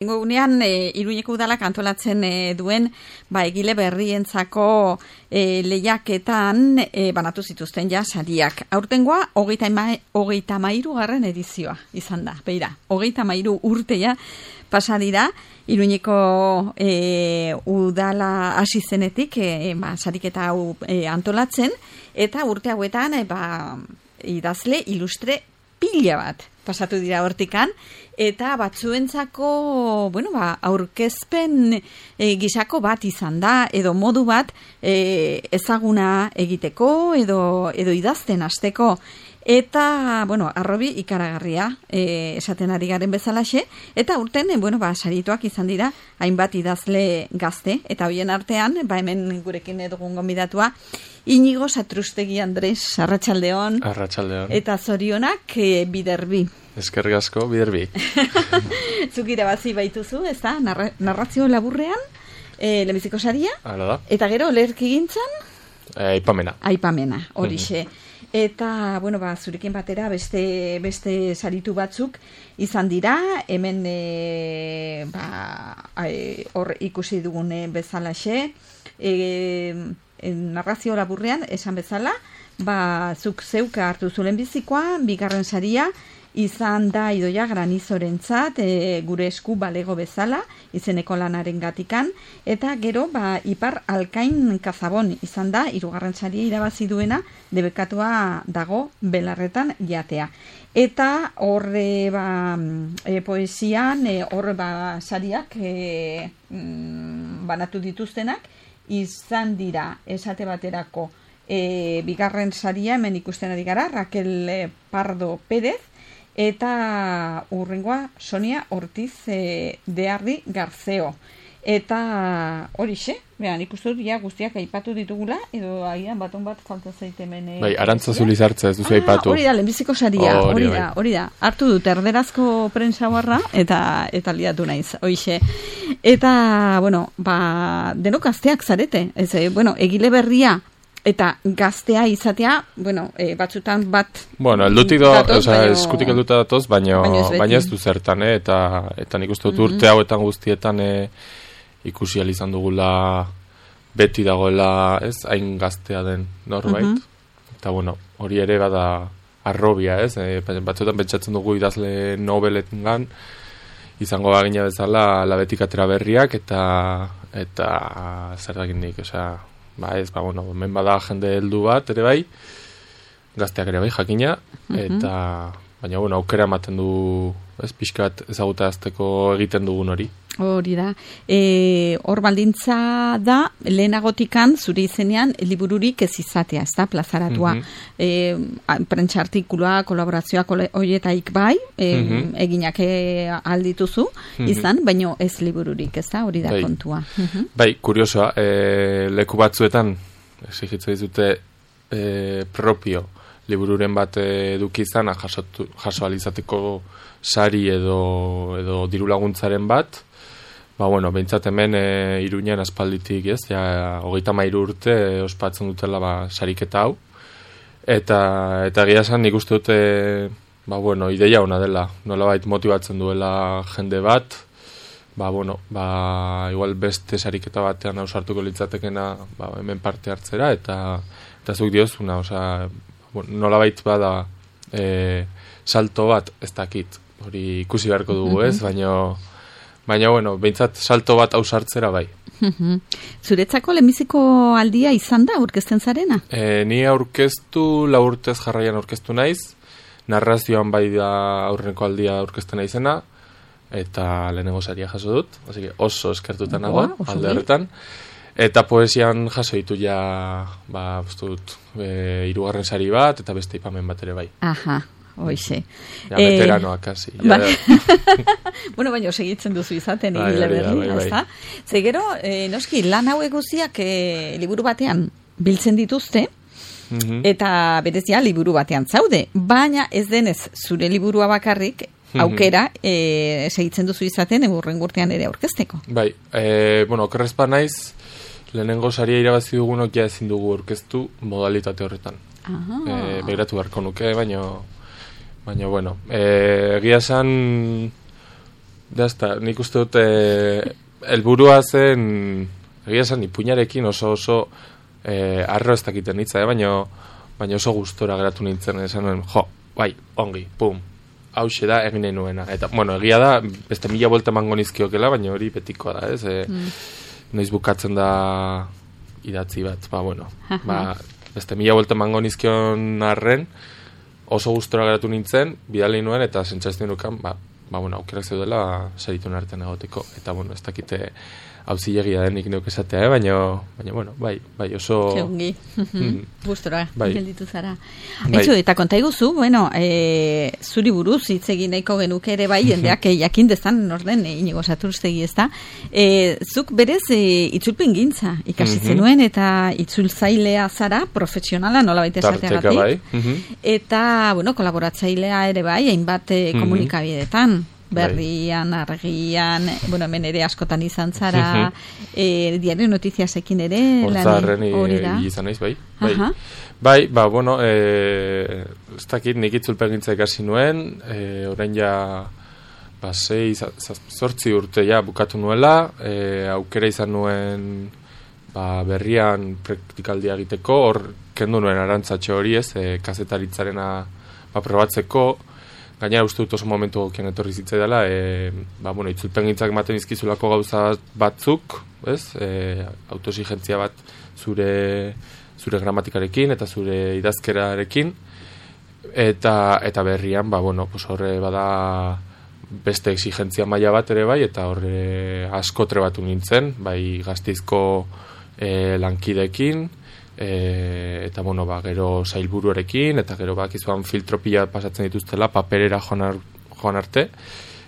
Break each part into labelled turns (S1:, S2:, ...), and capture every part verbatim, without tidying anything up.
S1: Gunean e, Iruñeko udalak antolatzen e, duen ba, egile berrientzako e, lehiaketan e, banatu zituzten ja sariak. Aurtengoa hogeita hamairu garren edizioa izan da. Beira, hogeita hamairu urtea pasa dira Iruñeko e, udala hasi zenetik e, ba, sariketa hau e, antolatzen, eta urte hauetan e, ba, idazle ilustre pila bat pasatu dira hortikan, eta batzuentzako, bueno, ba, aurkezpen e, gisako bat izan da, edo modu bat e, ezaguna egiteko, edo, edo idazten hasteko. Eta, bueno, arrobi ikaragarria e, esaten ari garen bezalaxe, eta urten, e, bueno, ba, sarituak izan dira hainbat idazle gazte, eta hoien artean, ba, hemen gurekin edugun gonbidatua, Inigo Satrustegi Andres, arratsaldeon.
S2: Arratsaldeon.
S1: Eta zorionak e, biderbi.
S2: Eskerrik asko, biderbi.
S1: Zuk irabazi baituzu, ez da, narra, narrazio laburrean, e, lehenbiziko saria.
S2: Hala da.
S1: Eta gero, lerki gintzan?
S2: E, aipamena.
S1: Aipamena, horixe. Eta, bueno, ba, zurekin batera beste, beste saritu batzuk izan dira, hemen e, ba, e, hor ikusi dugune bezalaxe, e, e, narrazio laburrean, esan bezala, ba, zuk zeuka hartu zulen bizikoa, bigarren saria, izan da Idoia Granizorentzat e, gure esku balego bezala, izeneko lanaren gatikan, eta gero ba, Ipar Alkain Kazabon izan da, hirugarren saria irabazi duena, debekatua dago belarretan jatea. Eta horre ba, e, poesian, e, horre ba, sariak e, mm, banatu dituztenak, izan dira, esate baterako, e, bigarren saria, hemen ikusten ari gara, Raquel Pardo Pérez, eta urrengoa Sonia Ortiz e, Dearri Garzeo. Eta horixe, behan ikustut ja guztiak aipatu ditugula, edo agian baton bat falta zaitemen. E,
S2: bai, Arantza Zulizartza ez duzu ah, aipatu.
S1: Hori da, lehenbiziko saria, oh, hori da, hori da. Hartu dut erderazko prensa barra, eta, eta liatu naiz, horixe. Eta, bueno, ba, denok gazteak zarete, ez, e, bueno, egile berria, eta gaztea izatea, bueno, e, batzutan bat...
S2: Bueno, eldutik do, oza, eskutik elduta datoz, baina baina ez du zertan, eh? eta, eta nik uste dut urte hauetan guztietan eh, ikusi izan dugula beti dagoela, ez, hain gaztea den norbait. Uh-huh. Eta, bueno, hori ere bada arrobia, ez? E, batzutan pentsatzen dugu idazle nobeletan izango bagina bezala labetik atera berriak, eta, eta zer dakin nik, osea... Ba ez, ba, bueno, hemen bada jende heldu bat, ere bai, gazteak ere bai, jakina, eta, baina, bueno, aukera ematen du, ez, pixkat ezagutarazteko egiten dugun hori.
S1: Hori da. E, hor baldintza da, lehenagotikan, zure izenean, libururik ez izatea, ez da, plazaratua. Mm-hmm. E, prentsa artikulua, kolaborazioa, horietaik bai, e, mm-hmm. eginak aldituzu, mm-hmm. izan, baino ez libururik, ez da, hori da bai. Kontua. Mm-hmm.
S2: Bai, kuriosoa, e, leku batzuetan, exigitzen dizute, e, propio, libururen bat eduki izana, jaso, jaso alizateko sari edo, edo diru laguntzaren bat. Ba, bueno, behintzat hemen e, Iruñan aspalditik, ez, ja, hogeita hamairu urte e, ospatzen dutela, ba, sariketa hau. Eta, eta gira esan nik uste dute, ba, bueno, ideia ona dela, nolabait motibatzen duela jende bat, ba, bueno, ba, igual beste sariketa batean ausartuko litzatekena, ba, hemen parte hartzera, eta, eta zuk diozuna, osea, bueno, nolabait bada e, salto bat, ez dakit, hori ikusi beharko dugu, ez, baina... Baina, bueno, behintzat salto bat ausartzera bai.
S1: Zuretzako lehenbiziko aldia izan da aurkezten zarena?
S2: E, ni aurkeztu, lau urtez jarraian aurkeztu naiz, narrazioan bai da aurreneko aldia aurkezten naizena, eta lehenengo saria jaso dut, así que oso eskertuta nago, alde horretan. Eta poesian jaso ditu ja, ba, bostut, e, hirugarren sari bat, eta beste ipamen bat ere bai.
S1: Aha. Hoixe.
S2: Ja, veteranoa, eh, kasi. Ja,
S1: ba... bueno, baina segitzen duzu izaten, egile berri, ezta? Zegero, eh, noski, lan hauek guztiak eh, liburu batean biltzen dituzte, mm-hmm. eta berezia liburu batean zaude, baina ez denez zure liburua bakarrik, aukera eh, segitzen duzu izaten, egurren gurtean ere aurkezteko.
S2: Bai, eh, bueno, okerrezpa naiz, lehenengo saria irabazi dugunok ja ezin dugu aurkeztu modalitate horretan. Eh, begiratu beharko nuke, baina... Baina, bueno, egia esan dazta, nik uste dute helburua zen, egia esan, ipuinarekin oso oso eh, arro ez dakiten nitza, eh? baina baina oso gustora geratu nintzen, esan nuen, jo, bai, ongi, pum, hauxe da egin nahi nuena. Eta, bueno, egia da, beste mila bolta mango nizkiokela, baina hori betikoa da, ez? E, mm. Noiz bukatzen da idatzi bat, ba, bueno, ba, beste mila bolta mango nizkion arren, oso gustora geratu nintzen, bidali nuen, eta sentsazio nukan, ba, ba, bueno, aukerak zeudela saritun artean egoteko. Eta, bueno, ez dakite hauzilegia denik neuk esatea, eh? baina, baina, bueno, bai, bai, oso...
S1: Keungi, mm. gustora,
S2: bai.
S1: gelditu zara. Bai. Etxo, eta konta iguzu, bueno, e, zuri buruz, hitz egin nahiko genuke ere bai, jendeak e, jakin dezan, norden, e, Inigo Saturstegi ez da, e, zuk berez e, itzulpen gintza, ikasitzen mm-hmm. nuen, eta itzultzailea zara, profesionala, nola baita esateagatik.
S2: Bai. Mm-hmm.
S1: Eta, bueno, kolaboratzailea ere bai, hainbat e, komunikabideetan. Berrian, argian, bueno, hemen ere askotan izan zara, eh, diario notiziasekin ere,
S2: Hortzarren izan naiz, bai. Bai. Bai, ba, bueno, eh, ez dakit nik itzulpen gintza ikasi nuen, eh, orain ja, ba, sei, zortzi urte ja bukatu nuela, eh, aukera izan nuen, ba, berrian praktikaldia egiteko, hor kendu nuen arantzatxo hori ez, eh, kazetaritzarena, ba, probatzeko. Gainera uste dut oso momentu gokien etorri zitzai dela, e, ba, bueno, itzulpen gintzak ematen izkizulako gauza batzuk, ez? E, autoexigentzia bat zure, zure gramatikarekin eta zure idazkerarekin, eta, eta berrian, ba, bueno, pues horre bada beste exigentzia maila bat ere bai, eta horre asko trebatu nintzen, bai Gasteizko e, lankideekin, E, eta bueno, ba, gero sailburuarekin, eta gero ba, kizuan filtro pila pasatzen dituztela, paperera joan, joan arte,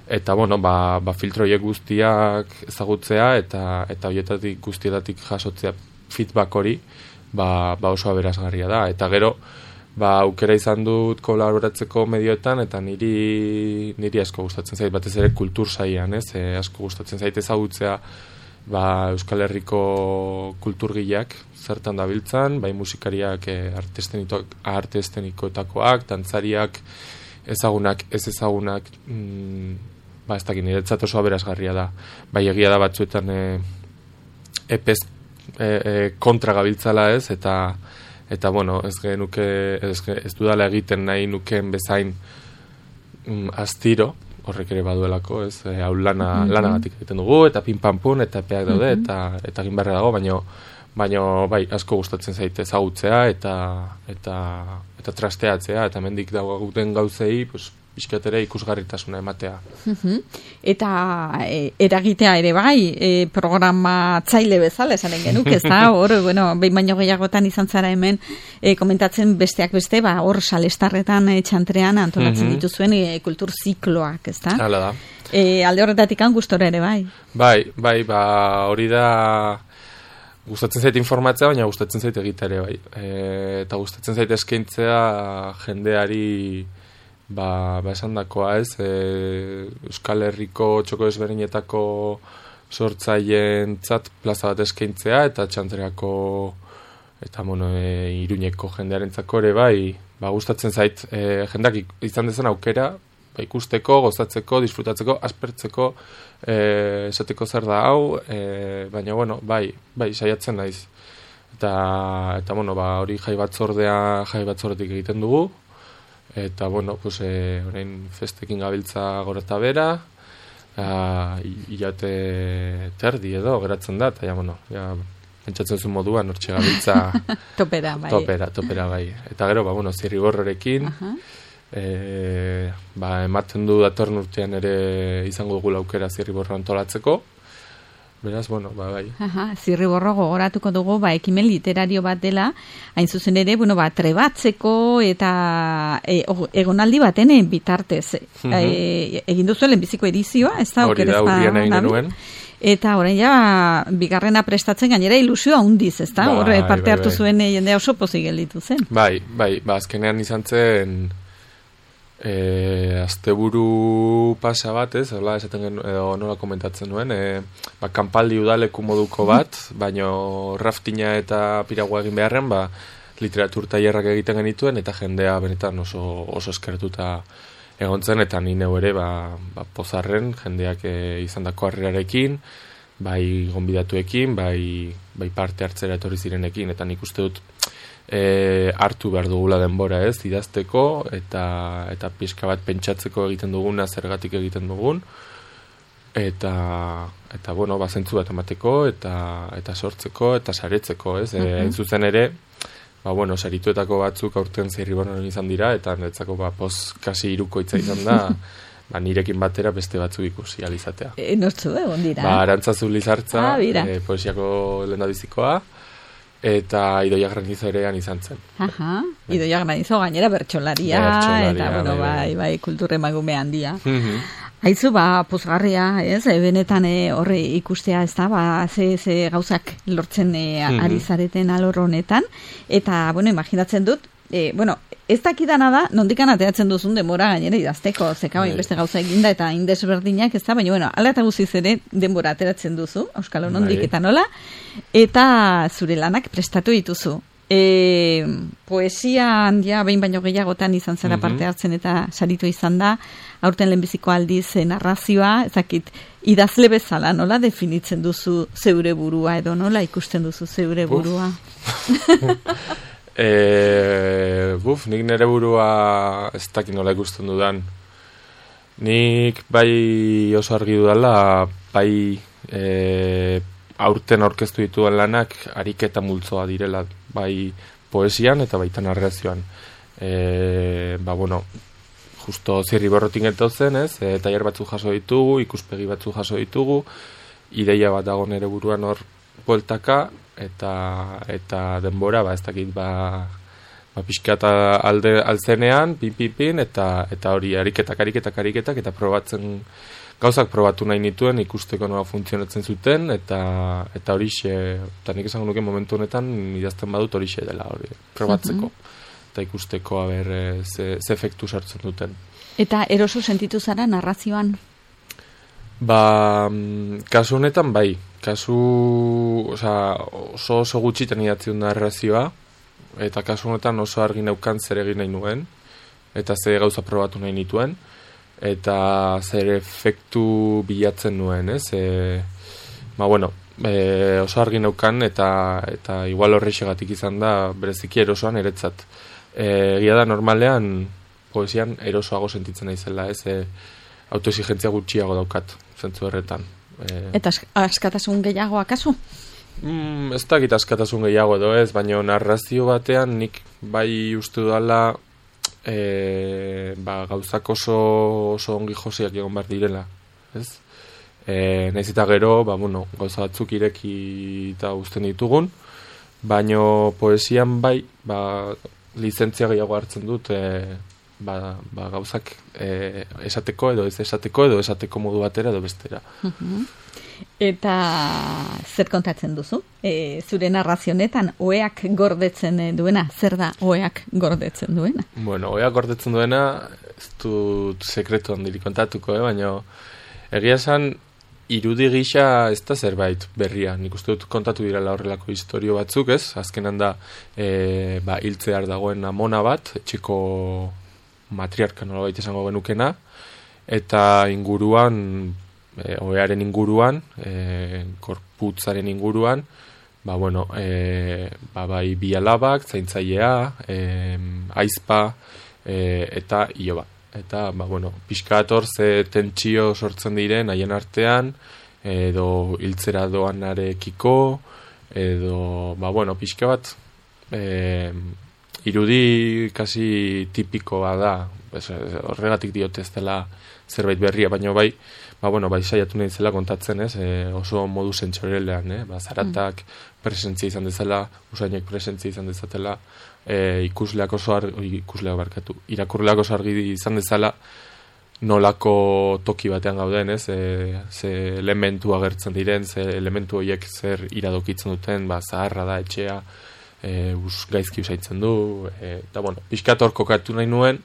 S2: eta bueno, ba, ba filtroiek guztiak ezagutzea, eta eta horietatik guztietatik jasotzea feedback hori, ba, ba oso aberasgarria da, eta gero, ba, aukera izan dut kolaboratzeko medioetan, eta niri, niri asko gustatzen zait, batez ere kultur saian, ez, e, asko gustatzen zait ezagutzea, ba, Euskal Herriko kulturgileak zertan dabiltzan, bai musikariak e, arte estenikoetakoak, dantzariak, ezagunak, ez ezagunak, mm, ba, ez dakit, niretzat oso aberasgarria da. Bai egia da batzuetan e, epez e, e, kontra gabiltzala ez, eta, eta bueno, ez genuke, ez, ez dudala egiten nahi nukeen bezain mm, astiro, horrek ere baduelako, ez, e, hau lana, mm-hmm. lana batik egiten dugu, eta pinpampun, eta epeak daude, mm-hmm. eta, eta egin barra dago, baina baina bai, asko gustatzen zaite ezagutzea, eta, eta, eta trasteatzea, eta mendik dagoen gauzei, pues, bizkatere ikusgarritasuna ematea.
S1: Mm-hmm. Eta e, eragitea ere bai, e, programatzaile bezala, esanen genuk, ez da, hor, bueno, behin baino gehiagotan izan zara hemen, e, komentatzen besteak beste, ba, hor salestarretan e, txantrean antolatzen mm-hmm. dituzuen e, kultur zikloak, ez da?
S2: Hala da.
S1: E, alde horretatik gustora ere bai.
S2: Bai, bai, ba, hori da... Gustatzen zait informatzea, baina gustatzen zait egitea ere bai. E, eta gustatzen zait eskaintzea jendeari ba, ba esan dakoa ez, e, Euskal Herriko txoko ezberdinetako sortzaileen tzat plaza bat eskaintzea, eta txantreako eta bueno, e, Iruñeko jendearentzako ere bai, ba, gustatzen zait e, jendeak izan dezen aukera, ba, ikusteko, gozatzeko, disfrutatzeko, aspertzeko, eh, esateko zer da hau, eh, baina, bueno, bai, bai, saiatzen naiz. Eta, eta bueno, ba, hori jai batzordea, jai batzordetik egiten dugu, eta, bueno, pues, eh, orain festekin gabiltza gora eta bera, hilate terdi edo, geratzen da, eta, ja, bueno, ja, pentsatzen zuen moduan, hortxe gabiltza...
S1: topera, bai.
S2: Topera, topera, bai. Eta gero, ba, bueno, zirrigorrerekin, uh-huh. E, ba, ematen du datorren urtean ere izango dugu aukera zirriborro antolatzeko. Beraz, bueno, ba, bai.
S1: Aha, zirriborro gogoratuko dugu, ba, ekimen literario bat dela, hain zuzen ere, bueno, ba, trebatzeko eta e, egonaldi baten bitartez. Mm-hmm. E, egin duzuen lehenbiziko edizioa, ez da?
S2: Hori da, urrian egin genuen.
S1: Eta orain ja, bigarrena prestatzen gainera ilusioa hundiz, ez da?
S2: Bai,
S1: Horre parte
S2: bai,
S1: hartu
S2: bai.
S1: zuen jendea oso pozik gelditu zen.
S2: Bai, bai, ba, azkenean izan zen... E, asteburu pasa bat, ez, hola, esaten gen, edo nola komentatzen nuen, e, ba, kanpaldi udaleku moduko bat, baino raftina eta piragua egin beharren, ba, literatur tailerrak egiten genituen, eta jendea benetan oso, oso eskertuta egontzen, eta ni neu ere ba, ba, pozarren jendeak e, izandako harrerarekin, bai gonbidatuekin, bai, bai parte hartzera etorri zirenekin, eta nik uste dut e, hartu behar dugula denbora ez, idazteko, eta, eta pixka bat pentsatzeko egiten duguna, zergatik egiten dugun, eta, eta bueno, bazentzu bat emateko, eta, eta sortzeko, eta saretzeko, ez, uh-huh. e, zuzen ere, ba, bueno, sarituetako batzuk aurten Zirriborron izan dira, eta netzako ba, poz kasi irukoitza izan da, ba, nirekin batera beste batzuk ikusi alizatea.
S1: E, nortzu egon dira?
S2: Ba, Arantzazu Lizartza,
S1: ah,
S2: e, poesiako lehendabizikoa, eta Idoia Granizo erean izan zen.
S1: Aha, Idoia Granizo gainera bertsolaria, bertsolaria eta, bueno, bai, bai, bai kultur emagume handia. Aizu, ba, pozgarria, ez, e, benetan e, horre ikustea, ez da, ba, ze, ze gauzak lortzen e, ari zareten alor honetan, eta, bueno, imaginatzen dut, e, bueno, ez dakidana da, nondikan ateratzen duzun denbora gainera idazteko, zeka bain beste gauza eginda eta indesberdinak, ez da, baina, bueno, ala eta guziz ere denbora ateratzen duzu, Euskal Nondik eta nola, eta zure lanak prestatu dituzu. E, poesian ja behin baino gehiagotan izan zara parte hartzen eta saritu izan da, aurten lehenbiziko aldiz narrazioa, ezakit, idazle bezala, nola definitzen duzu zeure burua edo nola ikusten duzu zeure burua?
S2: e, buf, nik nire burua ez dakit nola ikusten dudan. Nik bai oso argi dudala, bai e, aurten aurkeztu dituen lanak ariketa multzoa direla, bai poesian eta baita narrazioan. E, ba, bueno, justo Zirriborrotik getozen, ez? E, tailer batzuk jaso ditugu, ikuspegi batzuk jaso ditugu, ideia bat dago nere buruan hor bueltaka, eta eta denbora, ba, ez dakit, ba, ba pixkata alde altzenean, pin, pin, pin, eta, eta hori ariketak, ariketak, ariketak, eta probatzen, gauzak probatu nahi nituen, ikusteko nola funtzionatzen zuten, eta eta horixe, eta nik esango nuke momentu honetan, idazten badut horixe dela, hori, probatzeko. Uh-huh. Eta ikusteko, haber, ze, ze efektu sartzen duten.
S1: Eta eroso sentitu zara narrazioan?
S2: Ba, kasu honetan, bai. Kasu, oza, oso oso gutxitan idatziun narrazioa, eta kasu honetan oso argi neukan zer egin nahi nuen, eta ze gauza probatu nahi nituen, eta zer efektu bilatzen nuen, ez? E, ba, bueno, e, oso argi neukan, eta, eta igual horrexegatik izan da, bereziki erosoan eretzat. Egia da normalean poesian erosoago sentitzen naizela, ez, e, autoexigentzia gutxiago daukat, zentzu horretan. E,
S1: Eta askatasun gehiago akazu?
S2: Mm, ez dakit askatasun gehiago edo ez, baina narrazio batean nik bai uste dudala e, ba, gauzak oso, oso ongi josiak egon behar direla, ez? E, nahiz eta gero, ba, bueno, gauza batzuk ireki eta uzten ditugun, baina poesian bai, ba, lizentzia gehiago hartzen dut e, ba, ba, gauzak e, esateko edo ez esateko edo esateko modu batera edo bestera.
S1: Uh-huh. Eta zer kontatzen duzu? E, zure narrazionetan oeak gordetzen duena, zer da oeak gordetzen duena?
S2: Bueno, oeak gordetzen duena ez dut sekretu handirik kontatuko, eh? Baina egia esan irudi gisa ez da zerbait berria. Nik uste dut kontatu direla horrelako historio batzuk, ez? Azkenan da e, ba, hiltzear dagoen amona bat, etxeko matriarka nolabait esango genukena, eta inguruan, e, oearen inguruan, e, korputzaren inguruan, ba, bueno, e, ba, bai bi alabak, zaintzailea, e, aizpa, e, eta iloba. Eta, ba, bueno, pixkator ze tentsio sortzen diren haien artean, edo hiltzera doanarekiko, edo, ba, bueno, pixka bat, e, irudi kasi tipikoa da, horregatik diote ez dela zerbait berria, baina bai, ba, bueno, bai saiatu nahi zela kontatzen, ez, e, oso modu sentsorelean, eh? Ba, zaratak presentzia izan dezala, usainek presentzia izan dezatela, e, ikusleak oso argi, ikusleak barkatu, irakurleak oso argi izan dezala, nolako toki batean gauden, ez, e, ze elementu agertzen diren, ze elementu horiek zer iradokitzen duten, ba, zaharra da etxea, e, us, gaizki usaitzen du, e, eta, bueno, pixkat hor kokatu nahi nuen,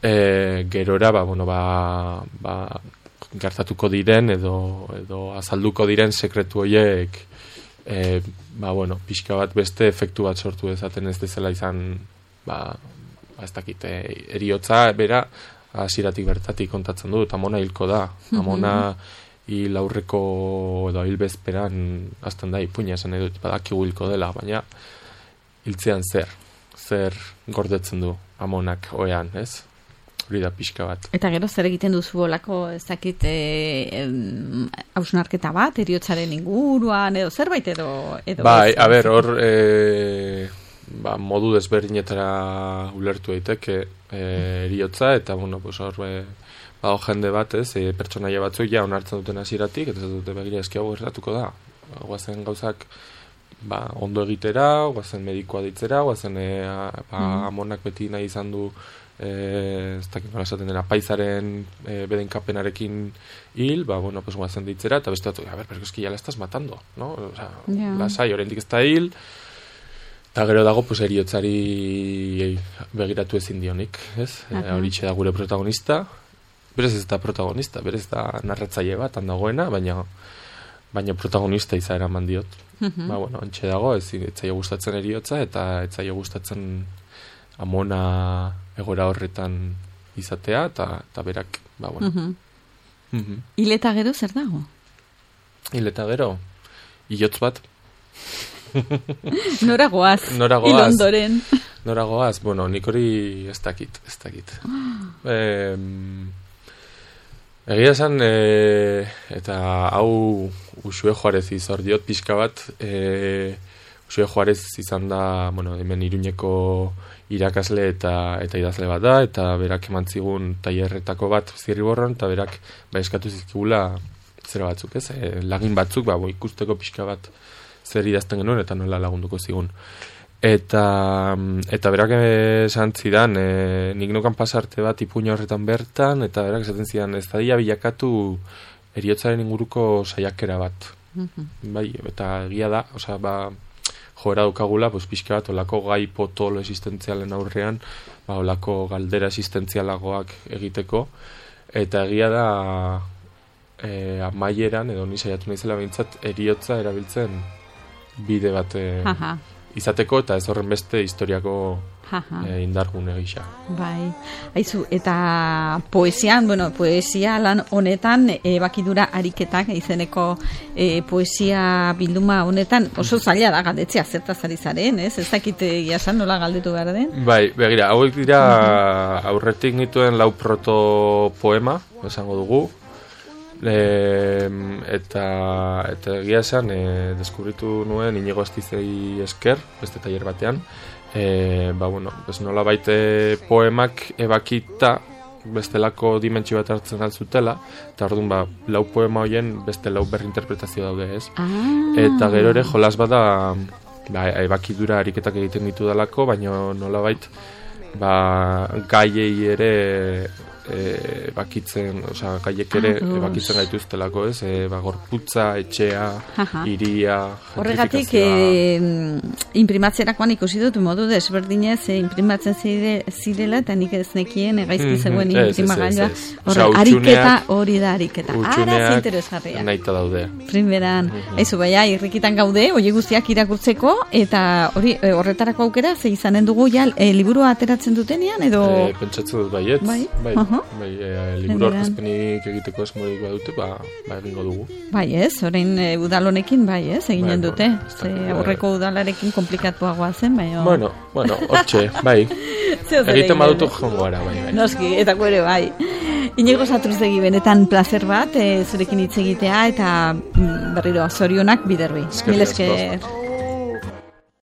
S2: e, gerora, ba, bueno, ba, ba, gertatuko diren, edo, edo azalduko diren sekretu horiek, e, ba, bueno, pixka bat beste efektu bat sortu dezaten ez dezela izan, ba, ba ez dakit, e, eriotza, bera, hasieratik bertatik kontatzen du, eta Amona hilko da. Amona hil aurreko edo hil bezperan azten da ipuina esan edo badakigu hilko dela, baina hiltzean zer, zer gordetzen du Amonak oean, ez? Hori da pixka bat.
S1: Eta gero zer egiten duzu olako, ez dakit, hausnarketa bat, eriotzaren inguruan, edo zerbait edo... edo
S2: bai, a ber, hor e, ba, modu desberdinetara ulertu daiteke e, eriotza, eta, bueno, pues hor... E, Ba, jende bat, ez, e, pertsonaia batzuk ja onartzen duten hasieratik, eta ez dute begira eski hau gertatuko da. Ba, guazen gauzak ba, ondo egitera, guazen medikoa ditzera, guazen e, a, ba, Amonak beti nahi izan du e, ez dakit nola esaten dena, paisaren e, bedenkapenarekin hil, ba, bueno, pues guazen ditzera, eta beste batzuk, a ber, pero eski ya la estás matando, no? O sea, yeah. Lasai, oraindik ez da hil, eta gero dago, pues, eriotzari begiratu ezin dionik, ez? Uh-huh. E, Horitxe da gure protagonista, berez ez da protagonista, berez da narratzaile bat handagoena, baina baina protagonista izaera eman diot. Uh-huh. Ba, bueno, antxe dago, ez etzaio gustatzen eriotza, eta etzaio gustatzen Amona egora horretan izatea, eta, eta berak, ba, bueno. Uh-huh. Uh-huh.
S1: Hil eta gero zer dago?
S2: Hil eta gero? Iotz bat.
S1: Nora goaz,
S2: Nora goaz.
S1: Hil ondoren.
S2: Nora goaz, bueno, nik hori ez dakit, ez dakit. eh, Egia esan, e, eta hau Uxue Juarez izor diot pixka bat, e, Uxue Juarez izan da, bueno, hemen Iruñeko irakasle eta eta idazle bat da, eta berak eman zigun tailerretako bat Zirriborron, eta berak ba, eskatu zizkigula zera batzuk, ez? E, lagin batzuk, ba, ikusteko pixka bat zer idazten genuen, eta nola lagunduko zigun. Eta, eta berak esan zidan, e, nik nukan pasarte bat ipuña horretan bertan, eta berak esaten zidan, ez da bilakatu eriotzaren inguruko saiakera bat. Mm-hmm. Bai, eta egia da, osea, ba, joera dukagula, pues, pixka bat, olako gai potolo existentzialen aurrean, ba, olako galdera existentzialagoak egiteko, eta egia da, e, amaieran, edo ni saiatu naizela behintzat, eriotza erabiltzen bide bat... E, izateko, eta ez horren beste historiako e, indargune gisa.
S1: Bai, haizu, eta poesian, bueno, poesia lan honetan, e, bakidura ariketak izeneko e, poesia bilduma honetan, oso zaila da galdetzea zertaz ari zaren, ez? Ez dakit egiasan nola galdetu behar den?
S2: Bai, begira, hauek dira aurretik nituen lau protopoema, esango dugu, E, eta eta egia esan e, deskubritu nuen Inigo Astizei esker beste tailer batean e, ba bueno, pues nola baite poemak ebakita bestelako dimentsio bat hartzen altzutela, eta orduan ba, lau poema hoien beste lau berrinterpretazio daude, ez?
S1: Ah.
S2: Eta gero ere jolas bada ba, ebakidura ariketak egiten ditu dalako, baina nola bait ba, gaiei ere E, bakitzen, osea, gaiek ere ah, bakitzen gaituztelako, ez? E, ba, gorputza, etxea, hiria,
S1: horregatik e, imprimatzerakoan ikusi dut modu desberdinez e, imprimatzen zire, zirela eta nik ez nekien egaizki zegoen mm-hmm. imprimagailua. Horre, ariketa hori da ariketa. Ara zinteresgarria.
S2: Naita daude.
S1: Primeran. Mm-hmm. Aizu, baina, irrikitan gaude, hori guztiak irakurtzeko, eta hori e, horretarako aukera, ze izanen dugu ja, e, liburua ateratzen dutenean, edo...
S2: E, pentsatzen dut baiet. Bai, bai. Uh-huh. Bai, e, liburu aurkezpenik egiteko esmorik badute, ba, ba egingo dugu.
S1: Bai, ez, orain e, udalonekin, bai, ez, eginen bai, dute. Bueno, ze aurreko udalarekin komplikatuagoa zen, bai. O...
S2: Bueno, bueno, hortxe, bai. Egiten badutu jongo gara, bai, bai.
S1: Noski, eta ere, bai. Inigo Satruztegi, benetan placer bat, e, zurekin hitz egitea, eta berriro, zorionak biderbi. Mil esker.